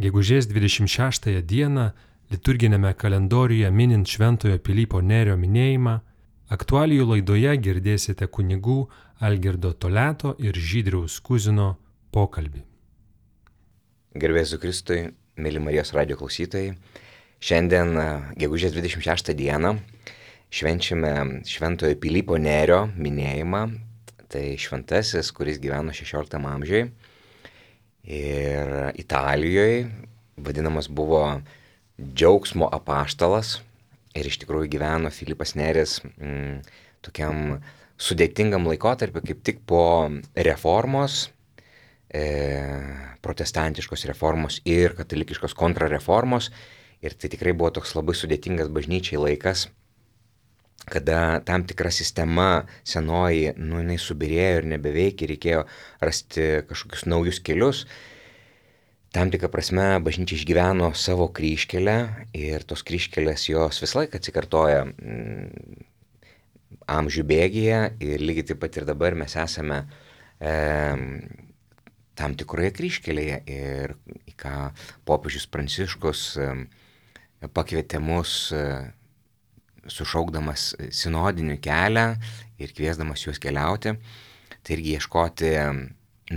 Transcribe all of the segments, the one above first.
Gegužės 26 dieną liturginėme kalendoriuje minint Šventojo Pilypo Nerio minėjimą, aktualijų laidoje girdėsite kunigų Algirdo Toleto ir Žydriaus Kuzino pokalbį. Garbėsiu Kristui, mėly Marijos radijo klausytojai. Šiandien, gegužės 26 dieną, švenčiame Šventojo Pilypo Nerio minėjimą. Tai šventasis, kuris gyveno 16 amžiuje ir Italijoje, vadinamas buvo džiaugsmo apaštalas. Ir iš tikrųjų gyveno Pilypas Neris tokiam sudėtingam laikotarpiu, kaip tik po reformos, protestantiškos reformos ir katalikiškos kontrareformos. Ir tai tikrai buvo toks labai sudėtingas bažnyčiai laikas, kada tam tikra sistema senoji, jinai subirėjo ir nebeveikia, reikėjo rasti kažkokius naujus kelius. Tam tikrą prasme bažnyčia išgyveno savo kryžkelę ir tos kryžkelės jos visą laiką atsikartoja amžių bėgyje ir lygiai taip pat ir dabar mes esame tam tikroje kryžkelėje ir į ką popiežius Pranciškus pakvietė mus sušaukdamas sinodinį kelią ir kviesdamas juos keliauti, tai irgi ieškoti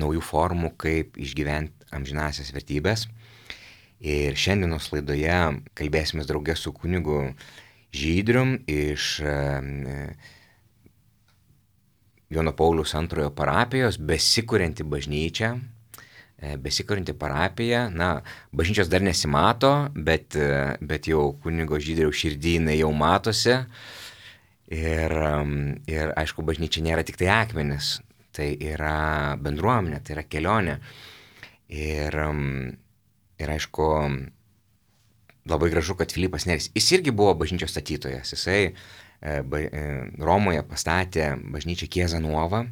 naujų formų, kaip išgyventi amžinąsias vertybės. Ir šiandienos laidoje kalbėsime drauge su kunigu Žydrium iš Jono Pauliaus II parapijos, besikurianti bažnyčia. Besikurianti parapija, bažnyčios dar nesimato, bet jau kunigo Žydriaus širdynai jau matosi. Ir aišku, bažnyčia nėra tik tai akmenis, tai yra bendruomenė, tai yra kelionė. Ir aišku, labai gražu, kad Pilypas Neris, jis irgi buvo bažnyčios statytojas. Jisai Romoje pastatė bažnyčią Chiesa Nuova.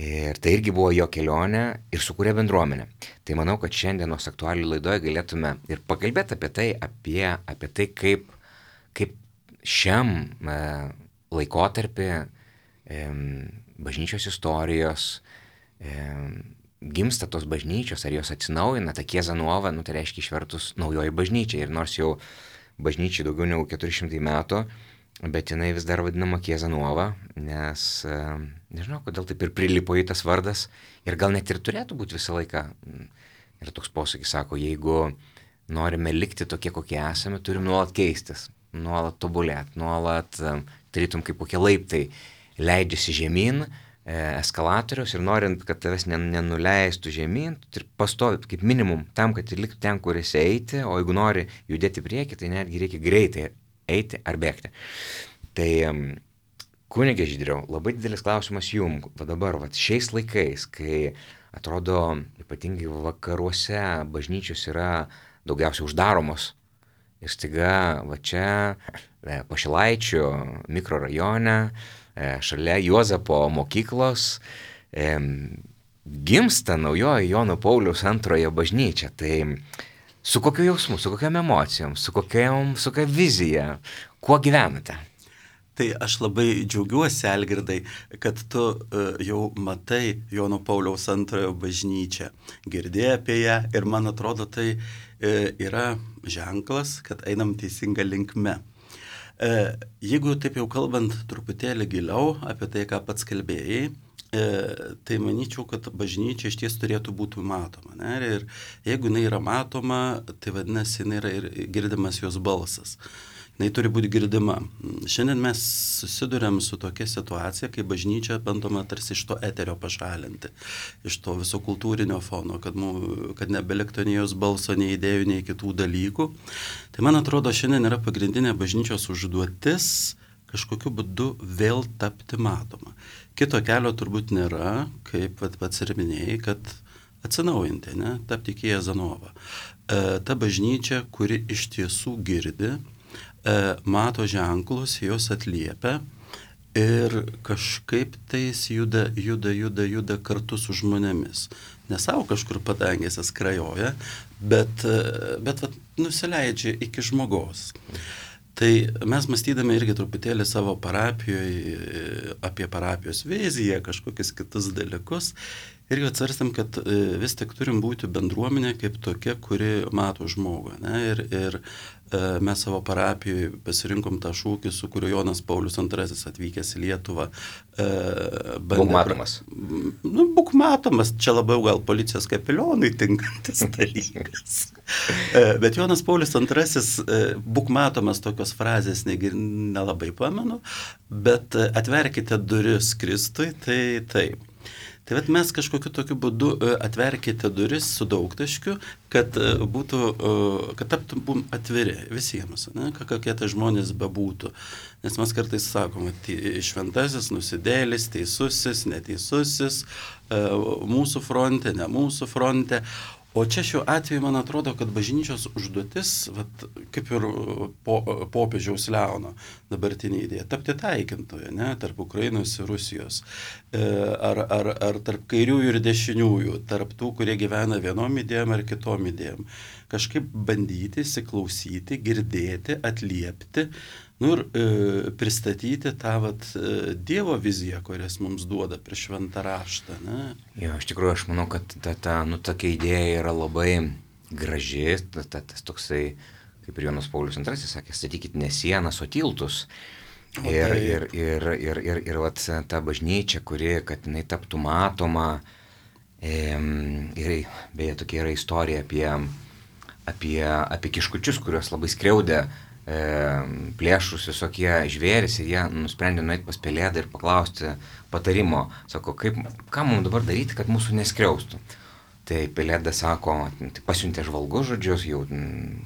Ir tai irgi buvo jo kelionė ir sukūrė bendruomenę. Tai manau, kad šiandienos aktualijų laidoje galėtume ir pakalbėti apie tai, kaip šiam laikotarpį bažnyčios istorijos gimsta tos bažnyčios, ar jos atsinaujina, ta Chiesa Nuova, tai reiškia išvertus naujoji bažnyčia. Ir nors jau bažnyčiai daugiau negu 400 metų, bet jinai vis dar vadinama Chiesa Nuova, nes nežinau, kodėl taip ir prilipo į tas vardas ir gal net ir turėtų būti visą laiką. Ir toks posakis sako, jeigu norime likti tokie, kokie esame, turim nuolat keistis, nuolat tobulėti, nuolat tarytum kaip kokie laiptai leidžiasi žemyn eskalatoriaus ir norint, kad tavęs nenuleistų žemyn, ir pastovi kaip minimum tam, kad ir liktų ten, kur esi eiti, o jeigu nori judėti prieki, tai netgi reikia greitai eiti ar bėgti. Tai kunige Žydriau, labai didelis klausimas jums, dabar, šiais laikais, kai atrodo ypatingai vakaruose bažnyčios yra daugiausiai uždaromos ir staiga čia Pašilaičių mikrorajone, šalia Juozapo mokyklos gimsta naujoji Jono Pauliaus II bažnyčia. Tai su kokiu jausmu, su kokiam emocijom, su kokia vizija, kuo gyvenate? Tai aš labai džiaugiuosi, Algirdai, kad tu jau matai Jono Pauliaus II bažnyčią, girdėjai apie ją ir man atrodo tai yra ženklas, kad einam teisinga linkme. Jeigu taip jau kalbant truputėlį giliau apie tai, ką pats kalbėjai, tai manyčiau, kad bažnyčia iš ties turėtų būti matoma. Ne? Ir jeigu jinai yra matoma, tai vadinasi, jinai yra ir girdimas jos balsas. Jinai turi būti girdima. Šiandien mes susiduriam su tokia situacija, kai bažnyčia bandoma tarsi iš to eterio pašalinti, iš to viso kultūrinio fono, kad nebeliktų nei jos balso, nei idėjų, nei kitų dalykų. Tai man atrodo, šiandien yra pagrindinė bažnyčios užduotis kažkokiu būdu vėl tapti matoma. Kito kelio turbūt nėra, kaip pats ir minėjai, kad atsinaujinti, tapti Chiesa Nuova. Ta bažnyčia, kuri iš tiesų girdi, mato ženklus, jos atliepia ir kažkaip tais juda kartu su žmonėmis. Ne savo kažkur padangėse skrajoja, bet nusileidžia iki žmogaus. Tai mes mąstydami irgi truputėlį savo parapijoje apie parapijos viziją, kažkokius kitus dalykus. irgi atsvarstėm, kad vis tik turim būti bendruomenė kaip tokia, kuri mato žmogų. Ne? Ir mes savo parapijoje pasirinkom tą šūkį, su kuriuo Jonas Paulius II atvykęs į Lietuvą. Būk matomas. Būk matomas, čia labiau gal policijos kapelionui tinkantis dalykas. Bet Jonas Paulius II, būk matomas, tokios frazės nelabai pamenu, bet atverkite duris Kristui, tai taip. Tai vat mes kažkokiu tokiu būdu atverkite duris su daugtaškiu, kad taptum atviri visiems, ne? Kokie tai žmonės bebūtų. Nes mes kartais sakom, šventasis, nusidėlis, teisusis, neteisusis, mūsų fronte, ne mūsų fronte. O čia šiuo atveju man atrodo, kad bažnyčios užduotis, vat, kaip ir popiežiaus Leono dabartinė idėja, tapti taikintoje, ne, tarp Ukrainos ir Rusijos, ar tarp kairiųjų ir dešiniųjų, tarp tų, kurie gyvena vienom idėjom ar kitom idėjom. Kažkaip bandyti, įsiklausyti, girdėti, atliepti, ir pristatyti tą Dievo viziją, kurias mums duoda per šventą raštą. Ne? Jo, iš tikrųjų, aš manau, kad tokia idėja yra labai graži, tas toksai, kaip ir Jonas Paulius II sakė, statykit ne sienas, o tiltus. Ir ta bažnyčia, kuri, kad jinai taptų matoma, ir beje, tokia yra istorija apie kiškučius, kuriuos labai skriaudė plėšrus visokie žvėris, ir jie nusprendė nueiti pas Pelėdą ir paklausti patarimo. Sako, ką mums dabar daryti, kad mūsų neskriaustų. Tai Pelėda sako, tai pasiuntė žvalgus, jau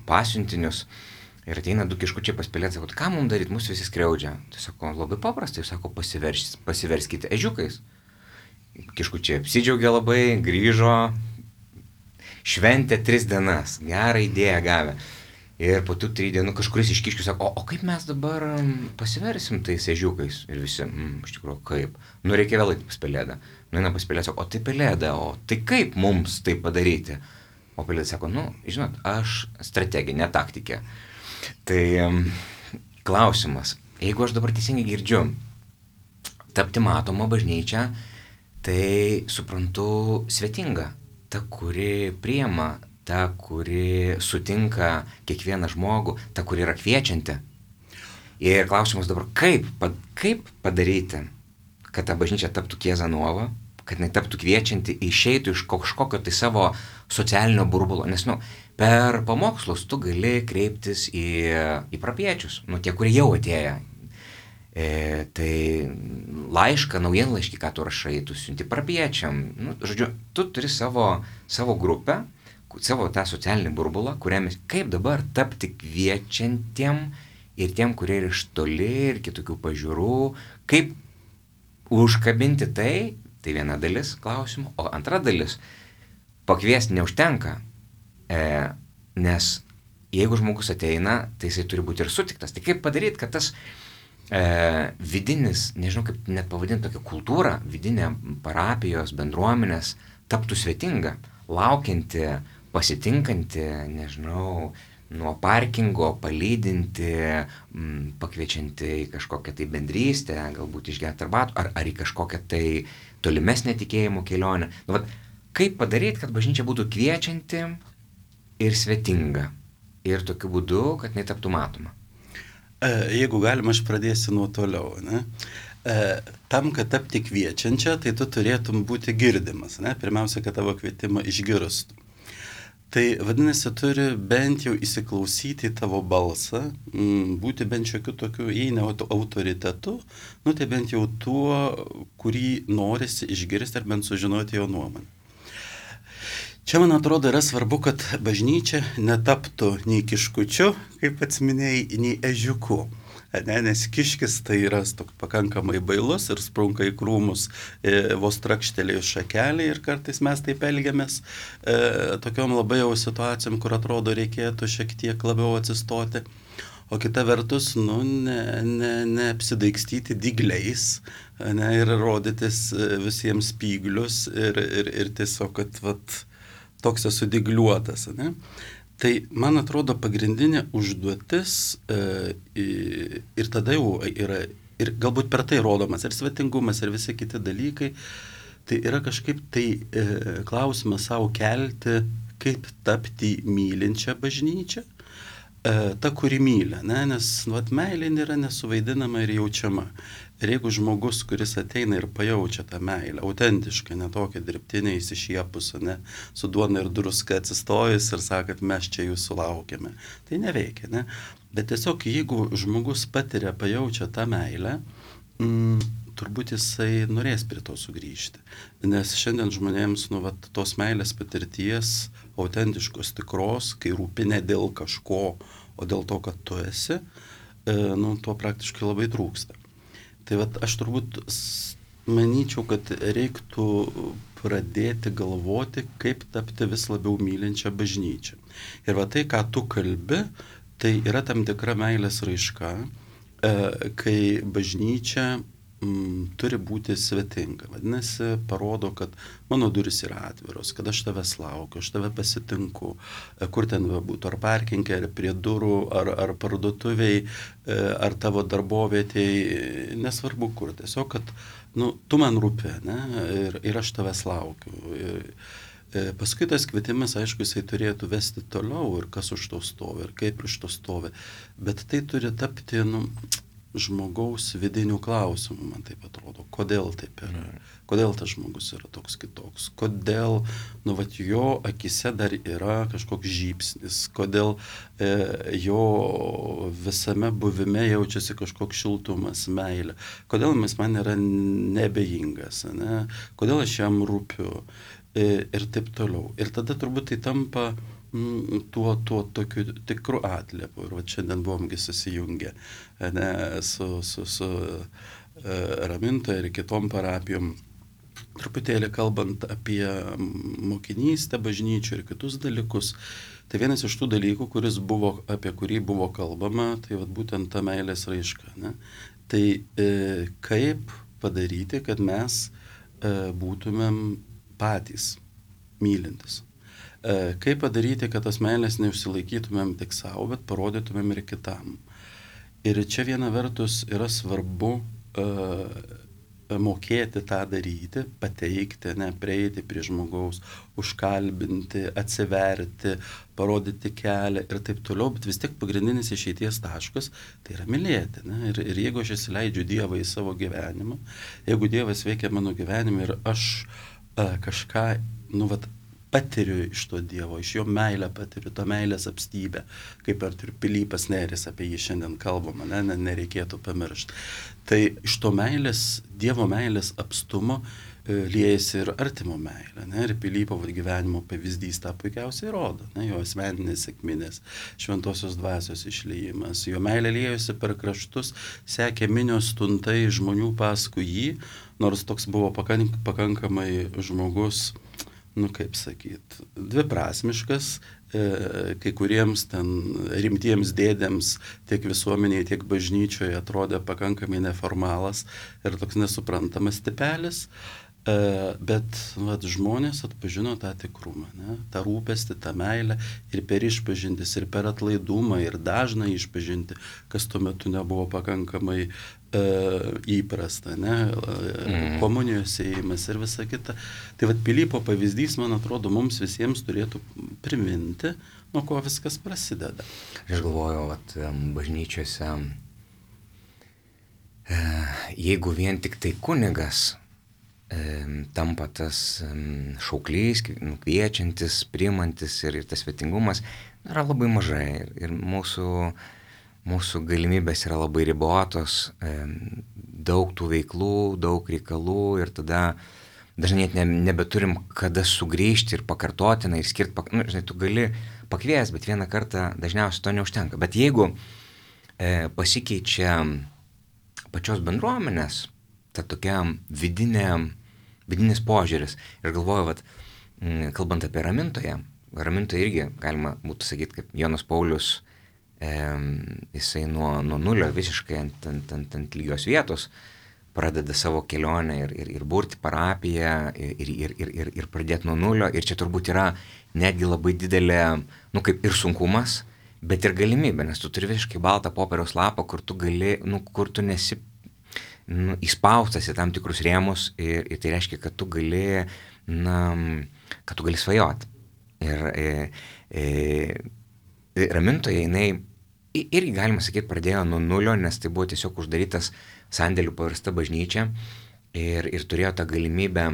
pasiuntinius, ir ateina du kiškučiai pas Pelėdą, sako, ką mums daryti, mūsų visi skriaudžia. Tai sako, labai paprastai, sako, pasiverskite ežiukais. Kiškučiai apsidžiaugė labai, grįžo, šventė 3 dienas, gerą idėją gavę. Ir po tų 3 dienų kažkuris iš kiškių sako, o kaip mes dabar pasiversim tais ežiukais? Ir visi, iš tikrųjų, kaip? Reikia vėl eiti pas Pelėdą. Nueina pas Pelėdą, sako, o tai Pelėda, o tai kaip mums tai padaryti? O Pelėda sako, žinot, aš strateginė taktikė. Tai klausimas, jeigu aš dabar teisingai girdžiu, tapti matoma bažnyčia, tai suprantu svetinga, ta, kuri priima, ta, kuri sutinka kiekvieną žmogų, ta, kuri yra kviečianti. Ir klausimas dabar, kaip padaryti, kad ta bažnyčia taptų Chiesa Nuova, kad jinai taptų kviečianti, išeitų iš kažkokio tai savo socialinio burbulo. Nes, per pamokslus tu gali kreiptis į parapiečius, tie, kurie jau atėjo. Tai laišką, naujienlaiškį, ką tu rašai, tu siunti parapiečiam. Žodžiu, tu turi savo grupę, savo tą socialinį burbulą, kuriame kaip dabar tapti kviečiantiem ir tiem, kurie yra iš toli ir kitokių pažiūrų, kaip užkabinti tai viena dalis klausimų, o antra dalis, pakviesti neužtenka, nes jeigu žmogus ateina, tai jisai turi būti ir sutiktas. Tai kaip padaryti, kad tas vidinis, nežinau kaip net pavadinti tokią kultūrą, vidinę parapijos bendruomenės taptų svetinga, laukianti, pasitinkanti, nežinau, nuo parkingo, palydinti, pakviečianti į kažkokią tai bendrystę, galbūt išgerti arbatų, ar į kažkokią tai tolimesnę tikėjimo kelionę. Kaip padaryti, kad bažnyčia būtų kviečianti ir svetinga, ir tokiu būdu, kad jinai taptų matoma? Jeigu galima, aš pradėsiu nuo toliau. Ne? Tam, kad tapti kviečiančia, tai tu turėtum būti girdimas. Ne? Pirmiausia, kad tavo kvietimą išgirstų. Tai vadinasi, turi bent jau įsiklausyti į tavo balsą, būti bent šiokiu tokiu, jei ne autoritetu, tai bent jau tuo, kurį norisi išgirsti ar bent sužinoti jo nuomonę. Čia, man atrodo, yra svarbu, kad bažnyčia netaptų nei kiškučiu, kaip pats minėjai, nei ežiuku. Nes kiškis tai yra pakankamai bailus ir sprunka į krūmus vos trakštelėjus šakelį, ir kartais mes taip elgiamės tokiom labai jau situacijom, kur atrodo reikėtų šiek tiek labiau atsistoti. O kita vertus, neapsidaikstyti dygliais, ir rodytis visiems spyglius ir tiesiog, kad toks esu dygliuotas. Tai, man atrodo, pagrindinė užduotis ir tada jau yra, ir galbūt per tai rodomas ir svetingumas, ir visi kiti dalykai, tai yra kažkaip tai klausimą savo kelti, kaip tapti mylinčią bažnyčią, ta, kuri myli, ne? Nes meilė yra nesuvaidinama ir jaučiama. Ir jeigu žmogus, kuris ateina ir pajaučia tą meilę, autentišką, ne tokią dirbtinę, įsišiepusą, ne, su duona ir druska atsistojus ir sakot, mes čia jūsų laukiame, tai neveikia, ne? Bet tiesiog, jeigu žmogus patiria, pajaučia tą meilę, turbūt jisai norės prie to sugrįžti. Nes šiandien žmonėms, tos meilės patirties, autentiškos, tikros, kai rūpi ne dėl kažko, o dėl to, kad tu esi, to praktiškai labai trūksta. Tai aš turbūt manyčiau, kad reiktų pradėti galvoti, kaip tapti vis labiau mylinčią bažnyčią. Ir tai, ką tu kalbi, tai yra tam tikra meilės raiška, kai bažnyčia turi būti svetinga. Vadinasi, parodo, kad mano duris yra atviros, kad aš tavęs laukiu, aš tave pasitinku, kur ten būtų, ar parkinge, ar prie durų, ar parduotuviai, ar tavo darbovietėj, nesvarbu kur. Tiesiog, kad tu man rūpi, ne? Ir aš tavęs laukiu. Paskui tas kvietimas, aišku, jisai turėtų vesti toliau ir kas už to stovi, ir kaip už to stovi. Bet tai turi tapti, žmogaus vidinių klausimų, man taip atrodo, kodėl taip yra, kodėl tas žmogus yra toks kitoks, kodėl, jo akise dar yra kažkoks žybsnis, kodėl jo visame buvime jaučiasi kažkoks šiltumas, meilė, kodėl man yra nebejingas, ne? Kodėl aš jam rūpiu ir taip toliau. Ir tada turbūt tai tampa tuo tokiu tikru atliepu. Ir šiandien buvomgi susijungę su Ramintoje ir kitom parapijom, truputėlį kalbant apie mokinystę bažnyčių ir kitus dalykus. Tai vienas iš tų dalykų, apie kurį buvo kalbama, tai būtent ta meilės raiška. Ne? Tai kaip padaryti, kad mes būtumėm patys mylintis. Kaip padaryti, kad tas meilės neužsilaikytumėm tik savo, bet parodytumėm ir kitam. Ir čia viena vertus yra svarbu mokėti tą daryti, pateikti, prieiti prie žmogaus, užkalbinti, atsiverti, parodyti kelią ir taip toliau, bet vis tiek pagrindinis išeities taškas tai yra mylėti. Ne? Ir jeigu aš įsileidžiu Dievą į savo gyvenimą, jeigu Dievas veikia mano gyvenimą ir aš kažką, patiriu iš to Dievo, iš jo meilę patiriu, tą meilės apstybę, kaip ir Pilypas Nėris, apie jį šiandien kalbama, nereikėtų pamiršti. Tai iš to meilės, Dievo meilės apstumo liejasi ir artimo meilė, ir Pilypo gyvenimo pavyzdys tą puikiausiai rodo, jo asmeninės sėkminės, šventosios dvasios išliejimas, jo meilė liejosi per kraštus, sekė minios tuntai žmonių paskui jį, nors toks buvo pakankamai žmogus, kaip sakyt, dviprasmiškas, kai kuriems ten rimtiems dėdėms tiek visuomeniai, tiek bažnyčioje atrodė pakankamai neformalas ir toks nesuprantamas tipelis, bet žmonės atpažino tą tikrumą, tą rūpestį, tą meilę ir per išpažintis, ir per atlaidumą, ir dažną išpažinti, kas tuo metu nebuvo pakankamai įprasta, komunijos ėjimas ir visa kita. Tai Pilypo pavyzdys, man atrodo, mums visiems turėtų priminti, nuo ko viskas prasideda. Aš galvoju, bažnyčiose, jeigu vien tik tai kunigas tampa tas šauklys, kviečiantis, priimantis ir tas svetingumas yra labai mažai ir mūsų galimybės yra labai ribotos, daug tų veiklų, daug reikalų ir tada dažnai net nebeturim kada sugrįžti ir pakartotinai ir skirti, tu gali pakvies, bet vieną kartą dažniausiai to neužtenka. Bet jeigu pasikeičia pačios bendruomenės, ta tokia vidinis požiūris, ir galvoju, kalbant apie Ramintoje irgi galima būtų sakyti, kaip Jonas Paulius, jisai nuo nulio visiškai ant lygios vietos pradeda savo kelionę ir burti parapiją ir pradėti nuo nulio. Ir čia turbūt yra netgi labai didelė, kaip ir sunkumas, bet ir galimybė, nes tu turi visiškai baltą popieriaus lapą, kur tu gali, kur tu nesi įspaustas į tam tikrus rėmus ir tai reiškia, kad tu gali, kad tu gali svajoti. Ir ramintoje jinai irgi, galima sakyti, pradėjo nuo nulio, nes tai buvo tiesiog uždarytas sandėlių pavirsta bažnyčia ir turėjo tą galimybę,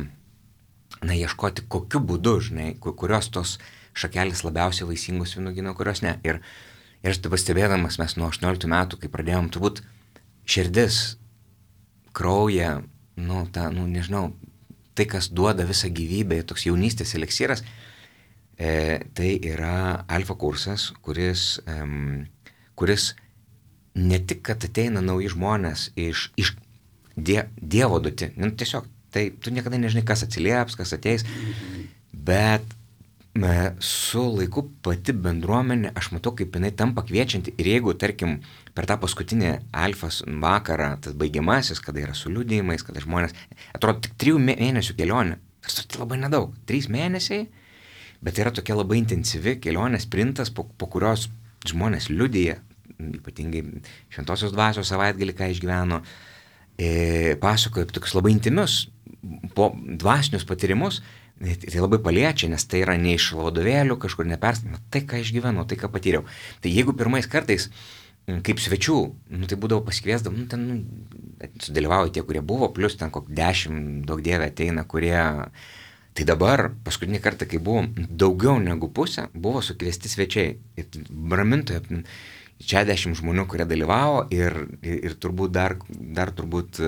ieškoti kokiu būdu, kurios tos šakelės labiausiai vaisingos vynuogyno, kurios ne. Ir aš taip pastebėdamas, mes nuo 18 metų, kai pradėjom, turbūt širdis, krauja, nežinau, tai, kas duoda visą gyvybę, toks jaunystės eleksyras, tai yra alfa kursas, kuris ne tik, kad ateina nauji žmonės iš Dievo duoti, tiesiog, tai tu niekada nežinai, kas atsilieps, kas ateis, bet su laiku pati bendruomenė, aš matau, kaip jinai tampa kviečianti ir jeigu, tarkim, per tą paskutinį alfas vakarą, tas baigiamasis, kada yra su liudijimais, kada žmonės, atrodo, tik 3 mėnesių kelionė, tai labai nedaug, 3 mėnesiai, bet tai yra tokia labai intensyvi kelionė, sprintas, po kurios žmonės liudija, ypatingai šventosios dvasios savaitgalį, ką išgyveno, pasakoja apie tokius labai intimius dvasinius patyrimus, tai labai paliečia, nes tai yra ne iš vadovėlių, kažkur tai, ką išgyvenau, tai, ką patyriau. Tai jeigu pirmais kartais, kaip svečių, tai būdavo pasikviesdam, sudalyvauja tie, kurie buvo, plus ten 10, daug dievė ateina, kurie... Tai dabar, paskutinį kartą, kai buvo daugiau negu pusė, buvo sukviesti svečiai. Ir ramintoje 60 žmonių, kurie dalyvavo ir turbūt dar turbūt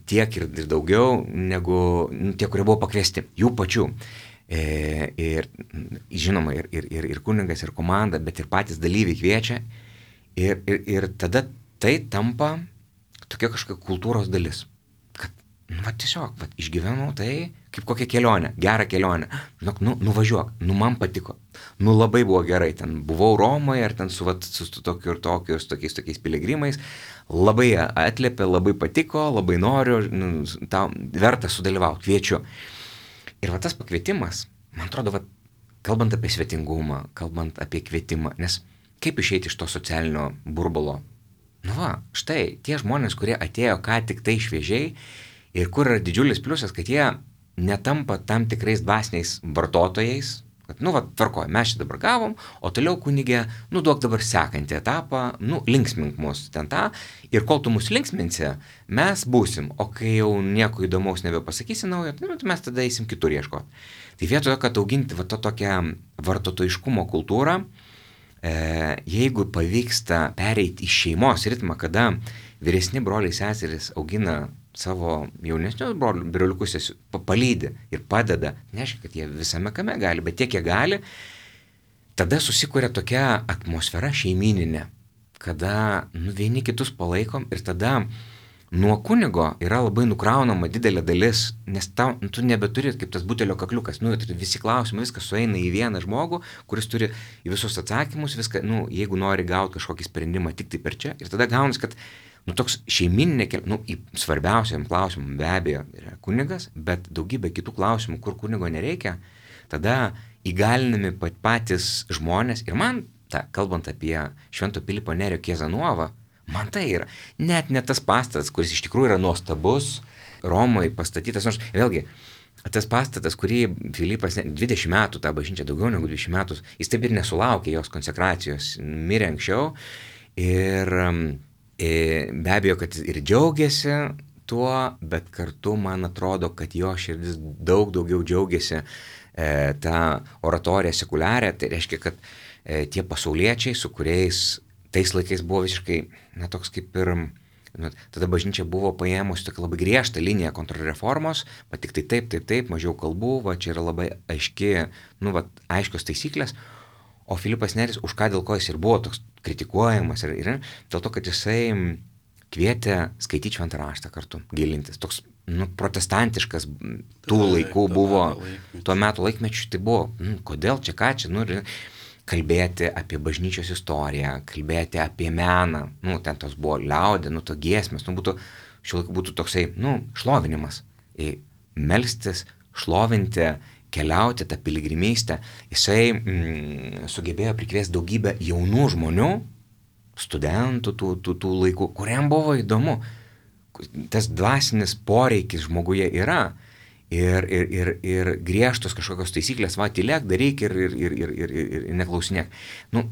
tiek ir daugiau negu tie, kurie buvo pakviesti, jų pačių. Ir žinoma, ir kunigas, ir komanda, bet ir patys dalyviai kviečia. Ir tada tai tampa tokia kažkokia kultūros dalis. Tiesiog, išgyvenau tai kaip kokią kelionę, gerą kelionę. Žinok, nuvažiuok, man patiko. Labai buvo gerai, ten buvau Romoje, ar ten su tokiu ir tokiais piligrimais. Labai atliepė, labai patiko, labai noriu, tau verta sudalyvauti, kviečiu. Ir tas pakvietimas, man atrodo, kalbant apie svetingumą, kalbant apie kvietimą, nes kaip išeiti iš to socialinio burbulo? Štai, tie žmonės, kurie atėjo ką tik tai šviežiai, ir kur yra didžiulis pliusas, kad jie netampa tam tikrais dvasiniais vartotojais, kad, tvarkoja, mes čia dabar gavom, o toliau kunigė, duok dabar sekantį etapą, linksmink mus ten tą, ir kol tu mus linksminsi, mes būsim, o kai jau nieko įdomaus nebepasakysi naujo, tai mes tada eisim kitur ieškoti. Tai vietoje, kad auginti tokią vartotojiškumo kultūrą, jeigu pavyksta pereiti į šeimos ritmą, kada vyresni broliai seserys augina savo jaunesnius broliukus, palydi ir padeda, neaišku, kad jie visame kame gali, bet tiek jie gali, tada susikuria tokia atmosfera šeimininė, kada vieni kitus palaikom ir tada nuo kunigo yra labai nukraunama didelė dalis, nes tu nebeturi kaip tas butelio kakliukas, visi klausimai, viskas sueina į vieną žmogų, kuris turi į visus atsakymus, viską, jeigu nori gauti kažkokį sprendimą tik tai per čia, ir tada gaunas, kad toks šeimininė, svarbiausiam klausimam be abejo yra kunigas, bet daugybė kitų klausimų, kur kunigo nereikia, tada įgalinami patys žmonės. Ir man, kalbant apie Švento Pilypo Nerio Chiesa Nuova, man tai yra net ne tas pastatas, kuris iš tikrųjų yra nuostabus, Romoje pastatytas, nors vėlgi, tas pastatas, kurį Filipas 20 metų, tą bažnyčią daugiau negu 20 metų, jis taip ir nesulaukė jos konsekracijos, mirė anksčiau ir be abejo, kad ir džiaugiasi tuo, bet kartu man atrodo, kad jo širdis daug daugiau džiaugiasi tą oratoriją sekuliarę, tai reiškia, kad tie pasauliečiai, su kuriais tais laikais buvo visiškai, toks kaip ir, tada bažnyčia buvo paėmusi tokia labai griežtą liniją kontrreformos, bet tik tai taip, mažiau kalbų, čia yra labai aiški, aiškios taisyklės. O Filipas Neris, už ką dėl ko jis ir buvo toks kritikuojamas, ir dėl to, kad jisai kvietė skaityti šventą raštą kartu, gilintis. Toks protestantiškas tų laikų buvo, tuo metu laikmečiu tai buvo, kodėl čia, ką čia, kalbėti apie bažnyčios istoriją, kalbėti apie meną, ten tos buvo liaudė, to giesmės, šiuo laiku būtų toksai, šlovinimas, melstis, šlovinti, keliauti tą piligrimystę, jisai sugebėjo prikviesti daugybę jaunų žmonių, studentų tų laikų, kuriam buvo įdomu, tas dvasinis poreikis žmoguje yra. Ir griežtos kažkokios taisyklės, va, tylėk, daryk ir neklausinėk. Nu,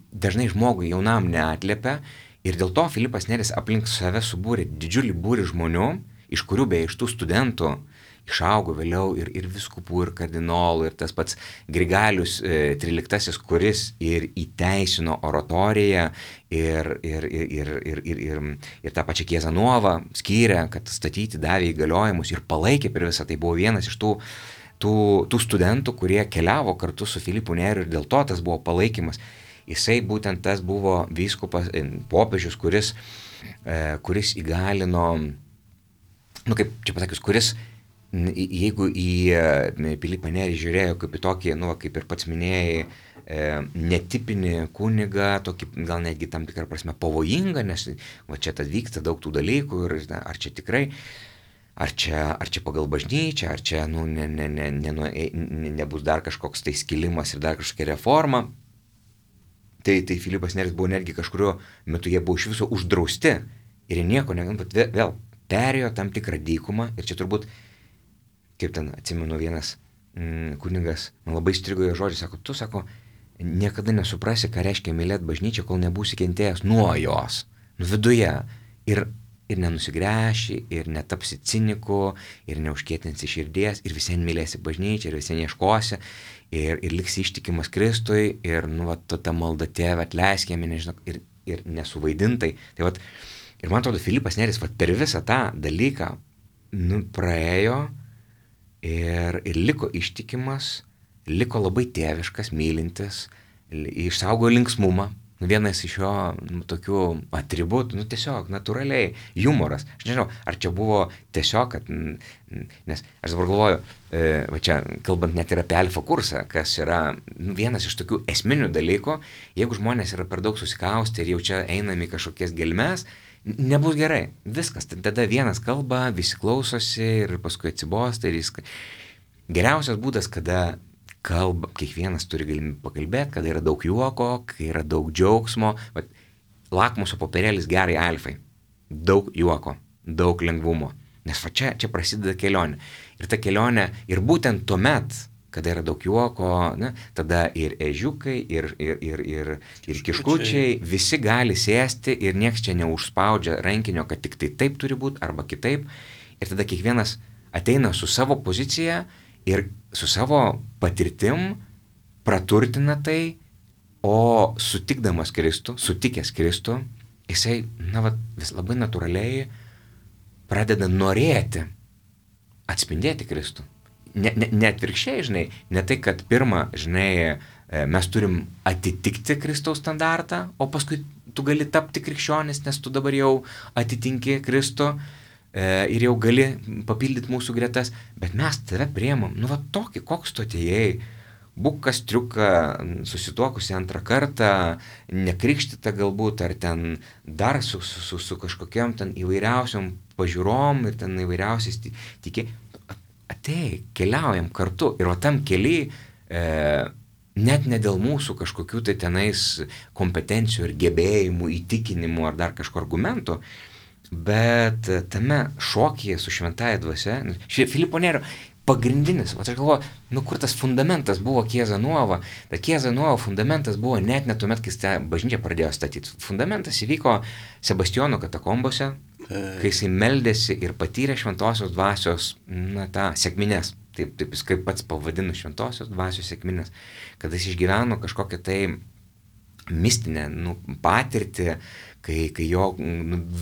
dažnai žmogui jaunam neatliepia ir dėl to Filipas Neris aplink save subūrė didžiulį būrį žmonių, iš kurių beje iš tų studentų išaugo vėliau ir viskupų, ir kardinolų, ir tas pats Grigalius XIII, kuris ir įteisino oratoriją ir tą pačią Chiesa Nuova skyrė, kad statyti davė įgaliojimus ir palaikė per visą. Tai buvo vienas iš tų studentų, kurie keliavo kartu su Filipu Neriu ir dėl to tas buvo palaikymas. Jisai būtent tas buvo vyskupas, popiežius, kuris įgalino, nu kaip čia pasakius, kuris jeigu į Pilypą Nerį žiūrėjo kaip į tokį, nu, kaip ir pats minėjai, netipinį kunigą, tokį gal netgi tam tikrą prasme pavojingą, nes va čia tad vyksta daug tų dalykų ir ar čia tikrai, ar čia pagal bažnyčią, ar čia nu, nebus dar kažkoks tai skilimas ir dar kažkokia reforma. Tai Filipas Neris buvo netgi kažkurio metu, jie buvo iš viso uždrausti ir jie nieko bet vėl perėjo tam tikrą dykumą ir čia turbūt, kaip ten atsimenu vienas kunigas, man labai strigo jo žodžiai, sako, tu, sako, niekada nesuprasi, ką reiškia mylėti bažnyčią, kol nebūsi kentėjęs nuo jos, nu viduje, ir nenusigręši, ir netapsi ciniku, ir neužkietinsi širdies, ir visien mylėsi bažnyčią, ir visien ieškosi, ir liksi ištikimas Kristui, ir nu, va, ta malda Tėve atleisk jam, nežinau, ir nesuvaidintai. Tai vat, ir man atrodo, Filipas Neris vat, per visą tą dalyką nu, praėjo ir liko ištikimas, liko labai tėviškas, mylintis, išsaugo linksmumą. Vienas iš jo tokių atributų, nu tiesiog natūraliai, humoras. Aš nežinau, ar čia buvo tiesiog, kad, nes aš dabar galvoju, va čia kalbant net ir apie alfa kursą, kas yra vienas iš tokių esminių dalykų, jeigu žmonės yra per daug susikaustę ir jau čia einami kažkokias gelmes, nebus gerai. Viskas, tada vienas kalba, visi klausosi ir paskui atsibosta ir jis. Geriausias būdas, kada kalba, kiekvienas turi galimybę pakalbėti, kada yra daug juoko, kai yra daug džiaugsmo. Bet lakmuso popierėlis gerai alfai. Daug juoko, daug lengvumo. Nes va čia prasideda kelionė. Ir ta kelionė, ir būtent tuomet, kada yra daug juoko, ne, tada ir ežiukai, ir kiškučiai, visi gali sėsti ir nieks čia neužspaudžia rankinio, kad tik tai taip turi būti arba kitaip. Ir tada kiekvienas ateina su savo pozicija ir su savo patirtim praturtina tai, o sutikdamas Kristų, sutikęs Kristų, jisai, vis labai natūraliai pradeda norėti atspindėti Kristų. Ne atvirkščiai, žinai, ne tai, kad pirmą, žinai, mes turim atitikti Kristaus standartą, o paskui tu gali tapti krikščionis, nes tu dabar jau atitinki Kristų ir jau gali papildyti mūsų gretas, bet mes tave priemam, tokį, koks tu atėjai, būk kastriuką, susituokusi antrą kartą, nekrikštyta galbūt, ar ten dar su kažkokiam ten įvairiausiom pažiūrom ir ten įvairiausiais tikė. Atei, keliaujam kartu ir o tam keliai net ne dėl mūsų kažkokių tai tenais kompetencijų ir gebėjimų, įtikinimų ar dar kažko argumentų, bet tame šokyje su šventąja dvasia, Filipo Nerio pagrindinis, aš galvoju, kur tas fundamentas buvo Chiesa Nuova. Ta Chiesa Nuova fundamentas buvo net tuomet, kai bažnyčia pradėjo statyti. Fundamentas įvyko Sebastijono katakombose, kai jisai meldėsi ir patyrė šventosios dvasios, tą sekmines. Taip jis kaip pats pavadino šventosios dvasios sekmines, kad jis išgyveno kažkokią tai mistinę patirtį, kai jo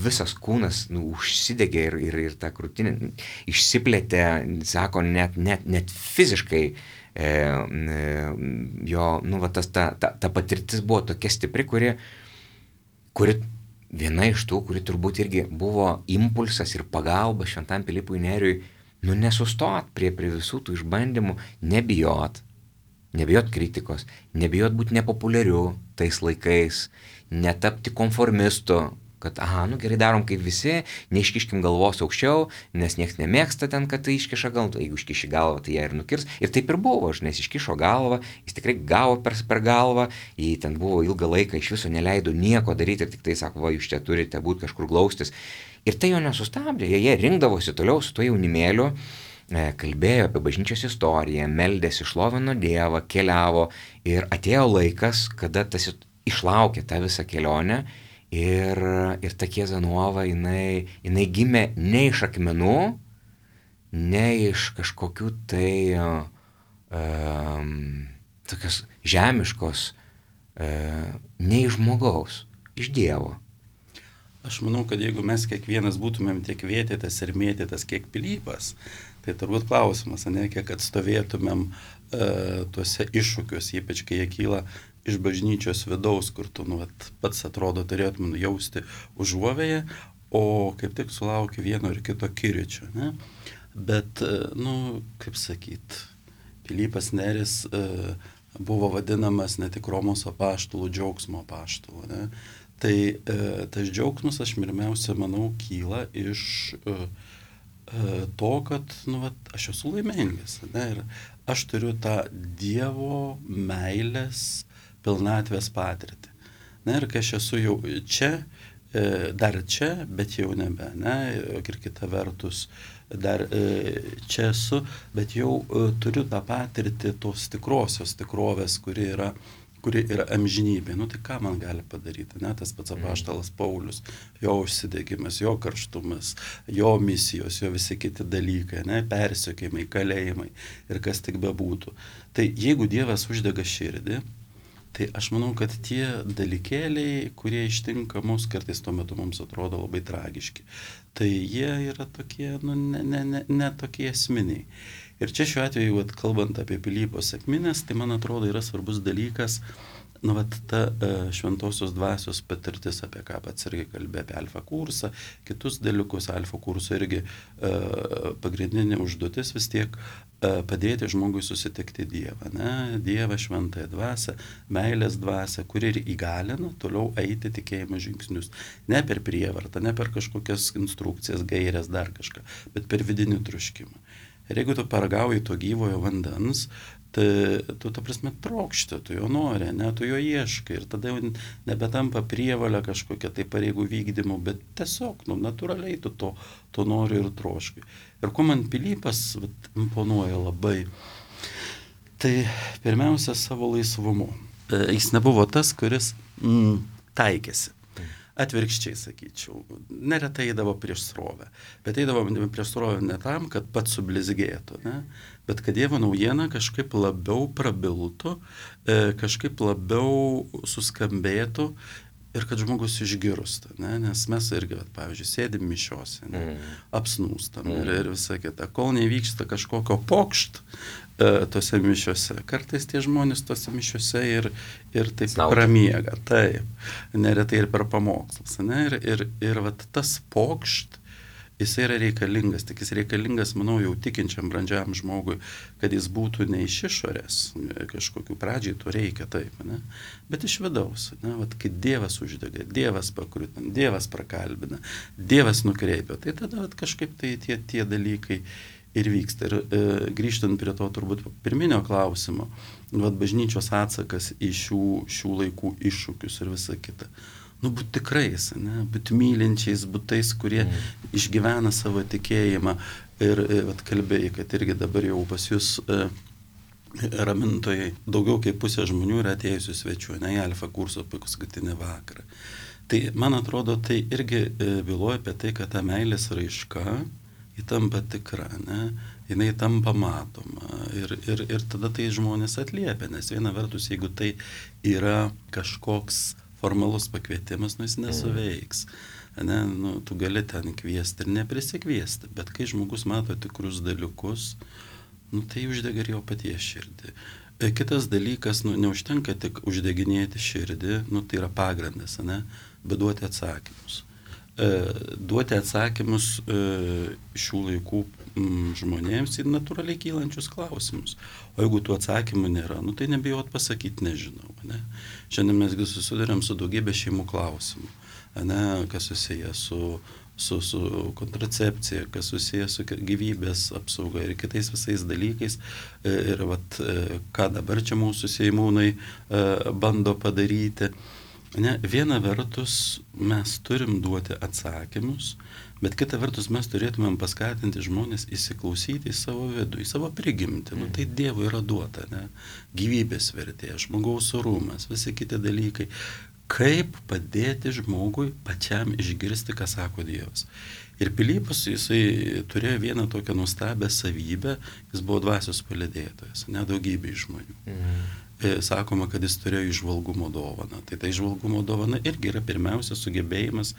visas kūnas užsidegė ir ta krūtinė išsiplėtė, sako, net fiziškai jo, ta patirtis buvo tokia stipri, kuri viena iš tų, kuri turbūt irgi buvo impulsas ir pagalba šventam Pilypui Neriui, nesustot prie visų tų išbandymų, nebijot kritikos, nebijot būti nepopuliariu tais laikais, netapti konformistu, kad, nu gerai darom kaip visi, neiškiškim galvos aukščiau, nes nieks nemėgsta ten, kad tai iškiša galvą, jeigu iškiši galvą, tai ją ir nukirs. Ir taip ir buvo, nes iškišo galvą, jis tikrai gavo per galvą, jį ten buvo ilgą laiką, iš viso neleido nieko daryti ir tik tai sako, va, jūs čia turite būti kažkur glaustis. Ir tai jo nesustabdė, jie rinkdavosi toliau su tuo jaunimėliu, kalbėjo apie bažnyčios istoriją, meldėsi, šlovino Dievą, keliavo ir atėjo laikas, kada tas išlaukė tą visą kelionę. Ir ta Chiesa Nuova, jinai gimė ne iš akmenų, ne iš kažkokių tai tokios žemiškos, ne iš žmogaus, iš Dievo. Aš manau, kad jeigu mes kiekvienas būtumėm tiek vėtytas ir mėtytas, kiek Pilypas, tai turbūt klausimas, ne, kiek atstovėtumėm tuose iššūkius, ypač kai jie kyla iš bažnyčios vidaus, kur tu pats atrodo turėtum jausti užuovėje, o kaip tik sulauki vieno ir kito kirčio. Ne? Bet, kaip sakyt, Pilypas Neris buvo vadinamas ne tik Romos apaštalų, džiaugsmo apaštalų. Ne? Tai tas džiaugsmas, aš pirmiausia, manau, kyla iš to, kad aš esu laimingas. Ne? Ir aš turiu tą Dievo meilės pilnatvės patirtį. Na ir kai aš esu jau čia, dar čia, bet jau nebe, ne, ir kita vertus, dar čia esu, bet jau turiu tą patirtį tos tikrosios tikrovės, kuri yra amžinybė. Tai ką man gali padaryti, ne, tas pats apaštalas Paulius, jo užsidegimas, jo karštumas, jo misijos, jo visi kiti dalykai, ne, persekiojimai, kalėjimai ir kas tik bebūtų. Tai jeigu Dievas uždega širdį, tai aš manau, kad tie dalykėliai, kurie ištinka mus, kartais tuo metu mums atrodo labai tragiški, tai jie yra tokie, ne tokie esminiai. Ir čia šiuo atveju, kalbant apie Pilypo sekmines, tai man atrodo yra svarbus dalykas, ta šventosios dvasios patirtis, apie ką pats irgi kalbė, apie alfa kursą, kitus dalykus, alfa kurso irgi pagrindinė užduotis vis tiek padėti žmogui susitikti Dievą, ne? Dievą, šventąją dvasią, meilės dvasią, kuri ir įgalina toliau eiti tikėjimo žingsnius. Ne per prievartą, ne per kažkokias instrukcijas, gairias, dar kažką, bet per vidinį troškimą. Ir jeigu tu paragauji to gyvojo vandens, tai tu, ta prasme, trokšti, tu jo nori, ne, tu jo ieškai ir tada jau nebetampa prievalė kažkokia tai pareigų vykdymu, bet tiesiog, natūraliai tu to nori ir troškai. Ir ko man Pilypas imponuoja labai, tai pirmiausia savo laisvumu. Jis nebuvo tas, kuris taikėsi. Atvirkščiai, sakyčiau, neretai eidavo prieš srovę, bet eidavo prieš srovę ne tam, kad pats sublizgėtų, ne? Bet kad Dievo naujiena kažkaip labiau prabiltų, kažkaip labiau suskambėtų ir kad žmogus išgirsta, ne? Nes mes irgi, pavyzdžiui, sėdim mišiose, ne? Apsnūstam ir visa kita, kol nevyksta kažkokio pokšt tose mišiose. Kartais tie žmonės tose mišiose ir taip pramiega, taip, neretai ir per pamokslus, ne? Ir tas pokšt, jis yra reikalingas, tik jis reikalingas, manau, jau tikinčiam brandžiam žmogui, kad jis būtų ne iš išorės, kažkokių pradžiai to reikia, taip, ne? Bet iš vidaus, ne? Kai Dievas uždega, Dievas pakrutina, Dievas prakalbina, Dievas nukreipia, tai tada kažkaip tai tie dalykai ir vyksta. Ir grįžtant prie to turbūt pirminio klausimo, bažnyčios atsakas į šių laikų iššūkius ir visa kita. Būt tikrais, ne? Būt mylinčiais, būt tais, kurie išgyvena savo tikėjimą. Ir kalbėjai, kad irgi dabar jau pas jūs ramintojai daugiau kaip pusė žmonių yra atėjusių svečių, ne, į alfa kurso paskutinį vakarą. Tai man atrodo, tai irgi byloja apie tai, kad ta meilės raiška ji tampa tikra, ne? Jinai tampa matoma ir tada tai žmonės atliepia, nes viena vertus, jeigu tai yra kažkoks formalus pakvietimas, jis nesuveiks. Ne? Tu gali ten kviesti ir neprisikviesti, bet kai žmogus mato tikrus dalykus, tai uždega ir jo paties širdį. Kitas dalykas, neužtenka tik uždeginėti širdį, tai yra pagrindas, ne? Bet duoti atsakymus. Duoti atsakymus šių laikų žmonėms į natūraliai kylančius klausimus. O jeigu tų atsakymų nėra, tai nebijot pasakyti nežinau. Ne? Šiandien mes susiduriam su daugybė šeimų klausimų. ne, kas susiję su kontracepcija, kas susijęs su gyvybės apsauga ir kitais visais dalykais. Ir vat, ką dabar čia mūsų seimūnai bando padaryti. Ne, viena vertus mes turim duoti atsakymus, bet kita vertus mes turėtumėm paskatinti žmonės įsiklausyti į savo vidų, į savo prigimtį. Nu, tai Dievui yra duota, ne? Gyvybės vertė, žmogaus orumas, visi kiti dalykai. Kaip padėti žmogui pačiam išgirsti, ką sako Dievas. Ir Pilypas, jisai turėjo vieną tokią nuostabią savybę, jis buvo dvasios palydėtojas, nedaugybė žmonių. Sakoma, kad jis turėjo įžvalgumo dovaną. Tai ta įžvalgumo dovana irgi yra pirmiausia sugebėjimas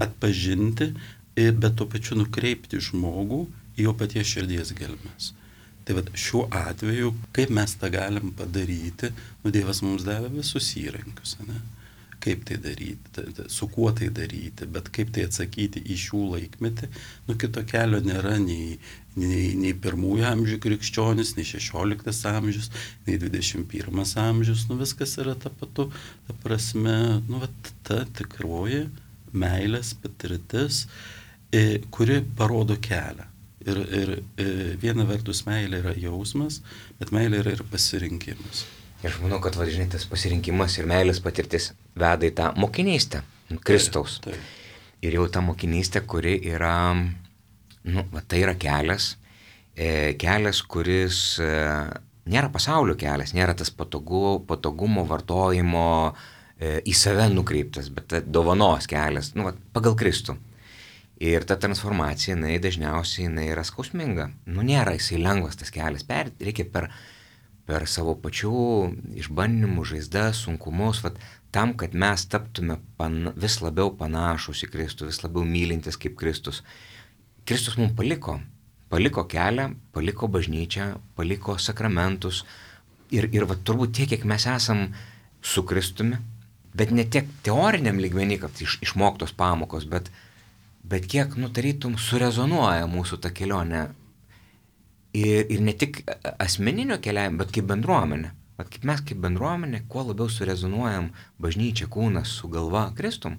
atpažinti, bet tuo pačiu nukreipti žmogų į jo paties širdies gelmes. Tai vat, šiuo atveju, kaip mes tą galim padaryti, Dievas mums davė visus įrankius, ne? Kaip tai daryti, su kuo tai daryti, bet kaip tai atsakyti į šių laikmetį, kito kelio nėra nei pirmųjų amžių krikščionis, nei 16 amžius, nei 21 amžius, viskas yra ta patu, ta prasme, ta tikroji meilės patirtis, kuri parodo kelią. Ir viena vertus meilė yra jausmas, bet meilė yra ir pasirinkimas. Ir aš manau, kad žinai, tas pasirinkimas ir meilės patirtis veda į tą mokinystę Kristaus. Taip. Ir jau ta mokinystė, kuri yra, tai yra kelias, kuris nėra pasaulio kelias, nėra tas patogumo vartojimo į save nukreiptas, bet dovanos kelias, pagal Kristų. Ir ta transformacija, dažniausiai yra skausminga. Nėra jisai lengvas tas kelias, reikia per savo pačių išbandymus, žaizdas, sunkumus, tam, kad mes taptume vis labiau panašus į Kristų, vis labiau mylintis kaip Kristus. Kristus mums paliko kelią, paliko bažnyčią, paliko sakramentus ir turbūt tiek, kiek mes esam su Kristumi, bet ne tiek teoriniam lygmenį, kad išmoktos pamokos, bet kiek, tarytum, surezonuoja mūsų ta kelionė. Ir ne tik asmeninio keliavimo, bet kaip bendruomenė. Kaip mes kaip bendruomenė, kuo labiau surezonuojam bažnyčia, kūnas su galva Kristum.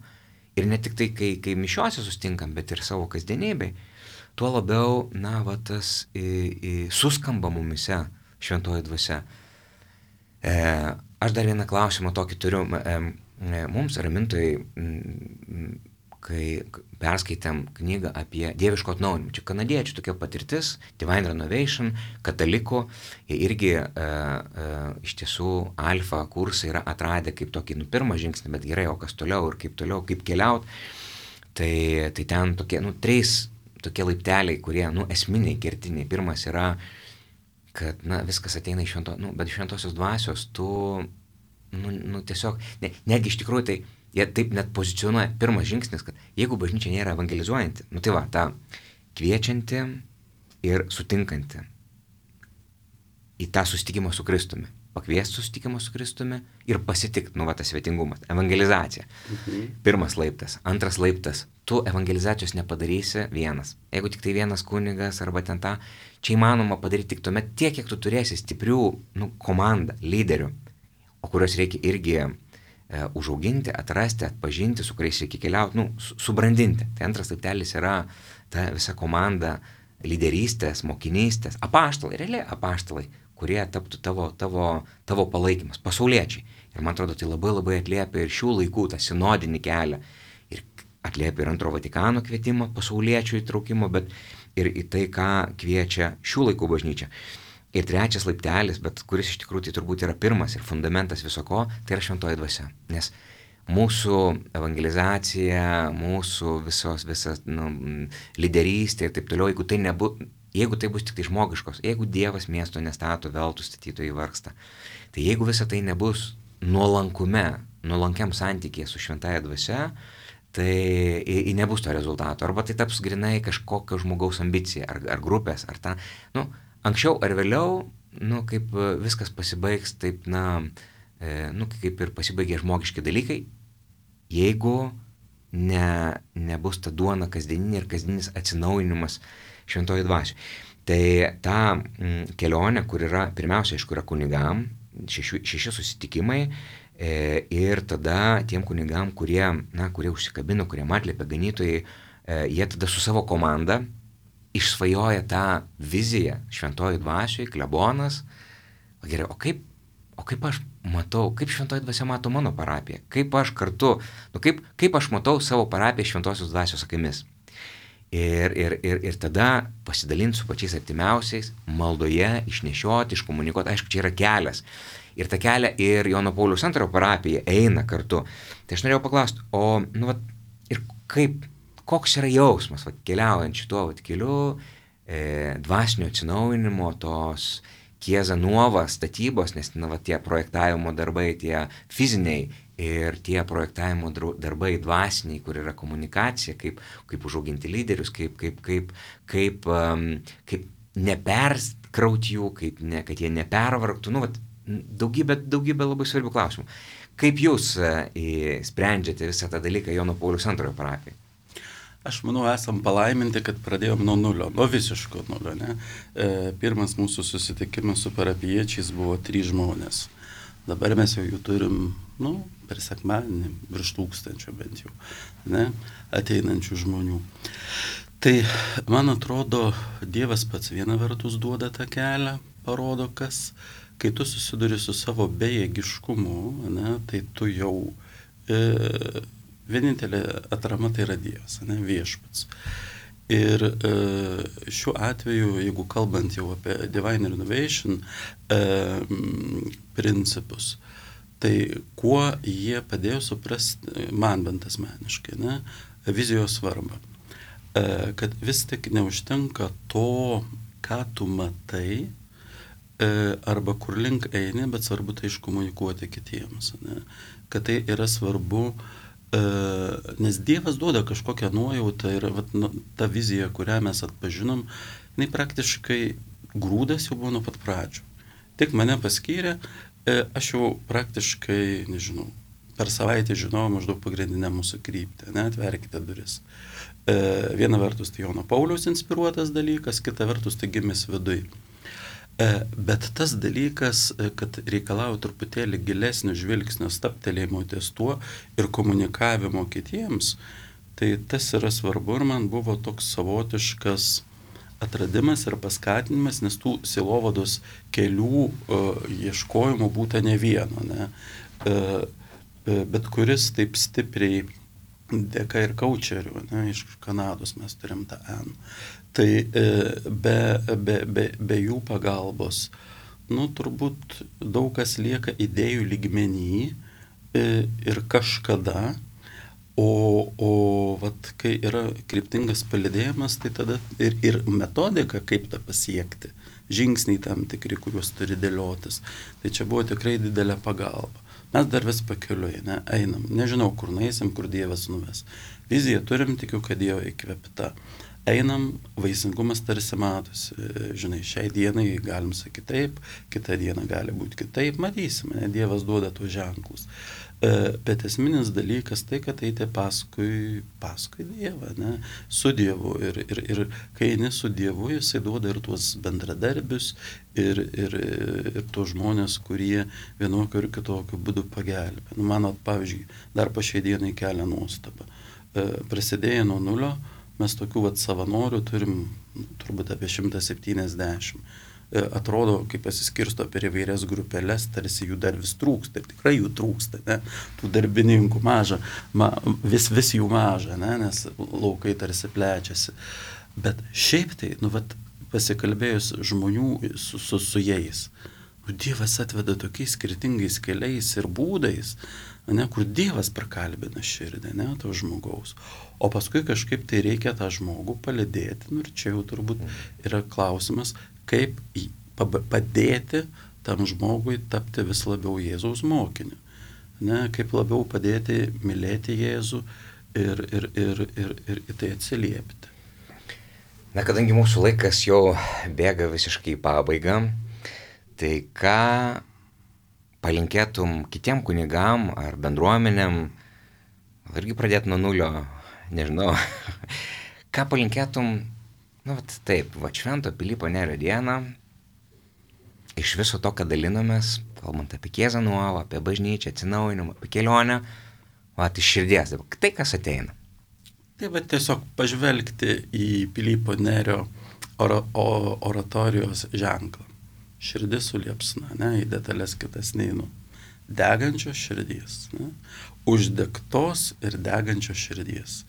Ir ne tik tai, kai mišiuose sustinkam, bet ir savo kasdienybėj, tuo labiau, tas suskamba mumise šventoji dvasia. Aš dar vieną klausimą tokį turiu. Mums ramintojai, kai perskaitėm knygą apie dieviško atnaujinimą. Čia kanadiečių tokia patirtis, Divine Renovation, katalikų, jie irgi iš tiesų alfa kursai yra atradę kaip tokį pirmą žingsnį, bet gerai, o kas toliau ir kaip keliaut. Tai ten tokie, 3 tokie laipteliai, kurie, esminiai, kertiniai. Pirmas yra, kad, viskas ateina iš bet šventosios dvasios, tu, tiesiog, netgi iš tikrųjų tai, jie taip net pozicionuoja pirmas žingsnis, kad jeigu bažnyčia nėra evangelizuojanti, ta kviečianti ir sutinkanti į tą susitikimą su Kristumi, pakviesti susitikimą su Kristumi ir pasitikti, tas svetingumas, evangelizacija. Pirmas laiptas. Antras laiptas, tu evangelizacijos nepadarysi vienas. Jeigu tik tai vienas kunigas arba ten čia įmanoma padaryti tik tuomet tiek, kiek tu turėsi stiprių komandą, lyderių, o kurios reikia irgi užauginti, atrasti, atpažinti, su kuriais reikia keliauti, subrandinti. Tai antras laiptelis yra ta visa komanda lyderystės, mokinystės, apaštalai, realiai apaštalai, kurie taptų tavo palaikymas, pasauliečiai. Ir man atrodo, tai labai labai atliepia ir šių laikų tą sinodinį kelią. Ir atliepia ir Antro Vatikano kvietimą, pasauliečių įtraukimo, bet ir į tai, ką kviečia šių laikų bažnyčia. Ir trečias laiptelis, bet kuris iš tikrųjų tai turbūt yra pirmas ir fundamentas viso ko, tai yra šventoji dvasia. Nes mūsų evangelizacija, mūsų visas lyderystė ir taip toliau, jeigu tai bus tik tai žmogiškos, jeigu Dievas miesto nestato, veltui statytojai vargsta, tai jeigu visa tai nebus nuolankiam santykėje su šventaja dvasia, tai nebus to rezultato. Arba tai taps grinai kažkokio žmogaus ambicija, ar grupės, ar anksčiau ar vėliau, kaip viskas pasibaigs, taip, kaip ir pasibaigė žmogiški dalykai, jeigu nebus ta duona kasdieninė ir kasdieninis atsinaujinimas šventoji dvasioje. Tai ta kelionė, kur yra, pirmiausia, aišku, yra kunigam, 6 susitikimai, Ir tada tiem kunigam, kurie užsikabino, kurie atliepė ganytojai, jie tada su savo komanda išsvajoja tą viziją šventojoj dvasioj, klebonas. Gerai, o kaip aš matau, kaip šventoji dvasia mato mano parapiją, kaip aš kartu, kaip aš matau savo parapiją šventosios dvasios akimis. Ir tada pasidalinti su pačiais artimiausiais, maldoje, išnešioti, iškomunikuoti, aišku, čia yra kelias. Ir tą kelią ir Jono Pauliaus II parapija eina kartu. Tai aš norėjau paklausti, ir koks yra jausmas, keliaujant šituo keliu, dvasinio atsinaujinimo, tos Chiesa Nuova statybos, nes tie projektavimo darbai, tie fiziniai ir tie projektavimo darbai dvasiniai, kur yra komunikacija, kaip užauginti lyderius, kaip neperskrauti jų, kad jie nepervargtų, daugybė labai svarbių klausimų. Kaip jūs sprendžiate visą tą dalyką Jono Pauliaus II parapijai? Aš manau, esam palaiminti, kad pradėjom nuo nulio, nuo visiško nulio. Ne? Pirmas mūsų susitikimas su parapiečiais buvo 3 žmonės. Dabar mes jau jų turim, per sekmadienį, virš 1000 bent jau, ne? Ateinančių žmonių. Tai, man atrodo, Dievas pats viena vertus duoda tą kelią, parodo kas. Kai tu susiduri su savo bejėgiškumu, ne, tai tu jau vienintelė atrama tai yra Dievas, ne, viešpats. Ir šiuo atveju, jeigu kalbant jau apie Divine Renovation principus, tai kuo jie padėjo suprasti, man bent asmeniškai, ne, vizijos svarbą. Kad vis tik neužtenka to, ką tu matai, arba kur link eini, bet svarbu tai iškomunikuoti kitiems. Ne? Kad tai yra svarbu, nes Dievas duoda kažkokią nuojautą ir ta vizija, kurią mes atpažinom, jinai praktiškai grūdas jau buvo nuo pat pradžių. Tik mane paskyrė, aš jau praktiškai, nežinau, per savaitę žinojau maždaug pagrindinę mūsų kryptį, ne, atverkite duris. Viena vertus tai Jono Pauliaus inspiruotas dalykas, kita vertus tai gimęs viduj. Bet tas dalykas, kad reikalauja truputėlį gilesnio žvilgsnio, stabtelėjimo ties tuo ir komunikavimo kitiems, tai tas yra svarbu ir man buvo toks savotiškas atradimas ir paskatinimas, nes tų sielovados kelių ieškojimų būta ne vieno, ne? Bet kuris taip stipriai dėka ir kaučerių, ne? Iš Kanados mes turim tą N. Tai be jų pagalbos, turbūt daug kas lieka idėjų lygmenį ir kažkada, o kai yra kryptingas palydėjimas, tai tada ir metodika, kaip tą pasiekti, žingsniai tam tikri, kuriuos turi dėliotis. Tai čia buvo tikrai didelė pagalba. Mes dar vis pakeliui, ne, einam, nežinau, kur nueisim, kur Dievas nuves. Viziją turim, tikiu, kad Dievo įkvėpta. Einam, vaisingumas tarsi matosi, žinai, šiai dienai galim sakyti taip, kitą dieną gali būti kitaip, matysime, ne, Dievas duoda tuos ženklus. Bet esminis dalykas tai, kad eiti paskui Dievą, ne, su Dievu. Ir kai eini su Dievu, jisai duoda ir tuos bendradarbius, ir tuos žmonės, kurie vienokiu ir kitokiu būdu pagelbė. Man, pavyzdžiui, dar po šiai dienai kelia nuostabą. Prasidėjo nuo nulio. Mes tokių savanorių turim turbūt apie 170. Atrodo, kaip pasiskirsto per įvairias grupelės, tarsi jų dar vis trūksta. Ir tikrai jų trūksta, ne? Tų darbininkų maža, vis jų maža, ne? Nes laukai tarsi plečiasi. Bet šiaip tai, pasikalbėjus žmonių su jais, Dievas atveda tokiais skirtingais keliais ir būdais, ne, kur Dievas prakalbina širdį, ne, to žmogaus. O paskui kažkaip tai reikia tą žmogų palydėti, ir čia jau turbūt yra klausimas, kaip padėti tam žmogui tapti vis labiau Jėzaus mokiniu. Ne, kaip labiau padėti mylėti Jėzų ir į tai atsiliepti. Na, kadangi mūsų laikas jau bėga visiškai į pabaigą, tai ką palinkėtum kitiem kunigam ar bendruomenėm, irgi pradėti nuo nulio, nežinau, ką palinkėtum, taip, Švento Pilypo Nerio dieną, iš viso to, kad dalinomės, kalbant apie Kiezanuovą, apie bažnyčią, atsinaujinimą, apie kelionę, iš širdies, tai kas ateina. Tai va tiesiog pažvelgti į Pilypo Nerio oratorijos ženklą. Širdis suliepsna, ne, į detalės kitas neinu. Degančios širdies, ne, uždegtos ir degančios širdies.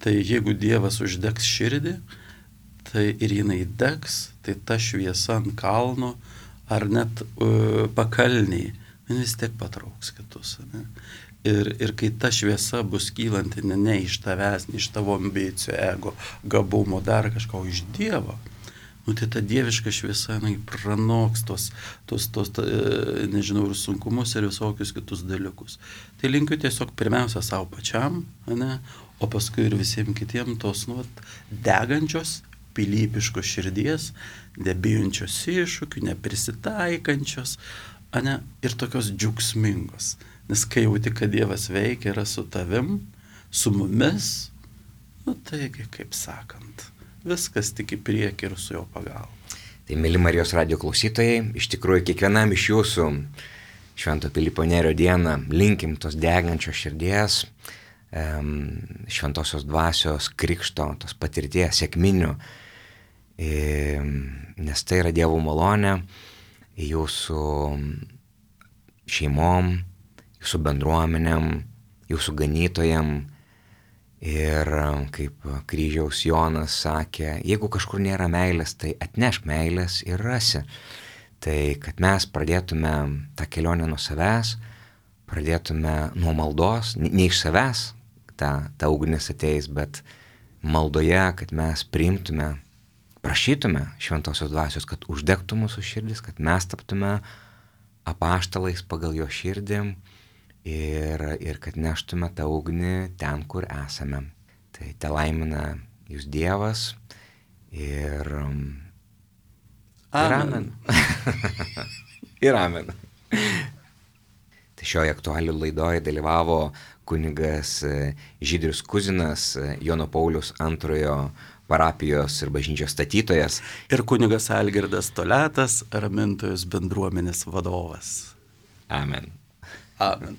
Tai jeigu Dievas uždegs širdį, tai ir jinai degs, tai ta šviesa ant kalno ar net pakalniai, vis tiek patrauks kitus. Ne? Ir kai ta šviesa bus kylanti ne iš tavęs, ne iš tavo ambicijų, ego, gabumo, dar kažko, iš Dievo, tai ta dieviška šviesa pranoks tos, nežinau, ir sunkumus, ir visokius kitus dalykus. Tai linkiu tiesiog pirmiausia savo pačiam, ne, o paskui ir visiems kitiems tos degančios, pilypiškos širdies, nebijančios iššūkių, neprisitaikančios, ne, ir tokios džiaugsmingos. Nes kai jauti, kad Dievas veikia, yra su tavim, su mumis, taigi, kaip sakant, viskas tik į priekį ir su jo pagalba. Tai, mėly Marijos radijo klausytojai, iš tikrųjų kiekvienam iš jūsų Švento Pilypo Nerio dieną linkim tos degančios širdies, šventosios dvasios, krikšto, tos patirties, sėkminių, nes tai yra Dievo malonė jūsų šeimom, jūsų bendruomenėm, jūsų ganytojam. Ir kaip kryžiaus Jonas sakė, jeigu kažkur nėra meilės, tai atnešk meilės ir rasi. Tai kad mes pradėtume tą kelionę nuo savęs, pradėtume nuo maldos, ne iš savęs ta ugnis ateis, bet maldoje, kad mes priimtume, prašytume šventosios dvasios, kad uždegtų mūsų širdis, kad mes taptume apaštalais pagal jo širdį. Ir kad neštume tą ugnį ten, kur esame. Tai te laimina jūs Dievas ir amen. Ir amen. Tai šioje aktualių laidoje dalyvavo kunigas Žydrius Kuzinas, Jono Pauliaus II parapijos ir bažnyčios statytojas. Ir kunigas Algirdas Toletas, Ramintojos bendruomenės vadovas. Amen. Amen.